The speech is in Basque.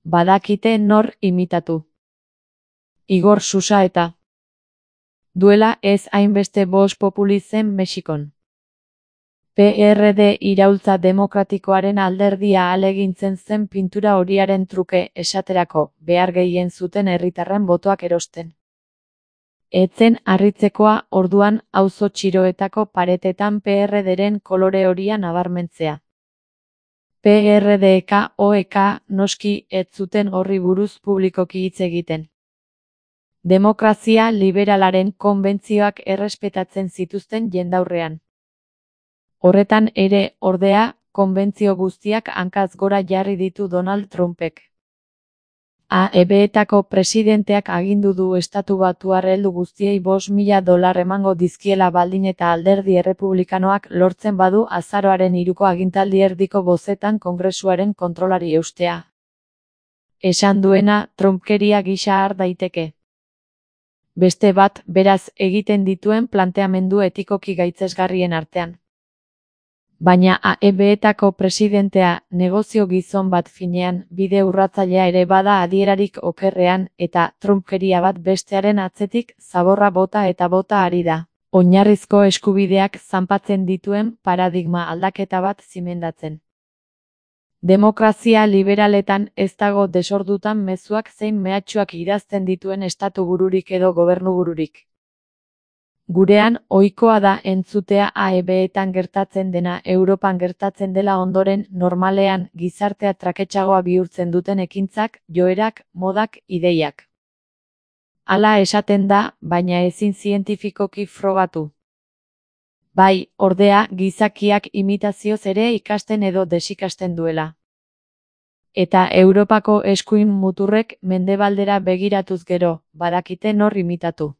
badakite nor imitatu. Igor Susaeta. Duela ez hainbeste Vox Populi zen Mexikon. PRD iraultza demokratikoaren alderdia ahalegintzen zen pintura horiaren truke esaterako behar gehien zuten herritarren botoak erosten. Etzen harritzekoa orduan auzo txiroetako paretetan PRDren kolore horia nabarmentzea. PRDK OEK noski ez zuten horri buruz publikoki hitz egiten. Demokrazia liberalaren konbentzioak errespetatzen zituzten jendaurrean. Horretan ere, ordea, konbentzio guztiak hankaz gora jarri ditu Donald Trumpek. AEB-etako presidenteak agindu du estatu batuar heldu guztiei $5.000 emango dizkiela baldin eta alderdi errepublikanoak lortzen badu azaroaren 3ko agintaldi erdiko bozetan Kongresuaren kontrolari eustea. Esan duena, Trumpkeria gisa har daiteke. Beste bat, beraz, egiten dituen planteamendu etikoki gaitzesgarrien artean. Baina AEB-etako presidentea, negozio gizon bat finean, bide urratzailea ere bada adierarik okerrean, eta Trumpkeria bat bestearen atzetik zaborra bota eta bota ari da. Oinarrizko eskubideak zanpatzen dituen paradigma aldaketa bat zimendatzen. Demokrazia liberaletan ez dago desordutan mezuak zein mehatxuak idazten dituen estatu bururik edo gobernu bururik. Gurean, ohikoa da entzutea AEB-etan gertatzen dena Europan gertatzen dela ondoren normalean gizartea traketsagoa bihurtzen duten ekintzak, joerak, modak, ideiak. Hala esaten da, baina ezin zientifikoki frogatu. Bai, ordea, gizakiak imitazioz ere ikasten edo desikasten duela. Eta Europako eskuin muturrek mendebaldera begiratuz gero, badakite nor imitatu.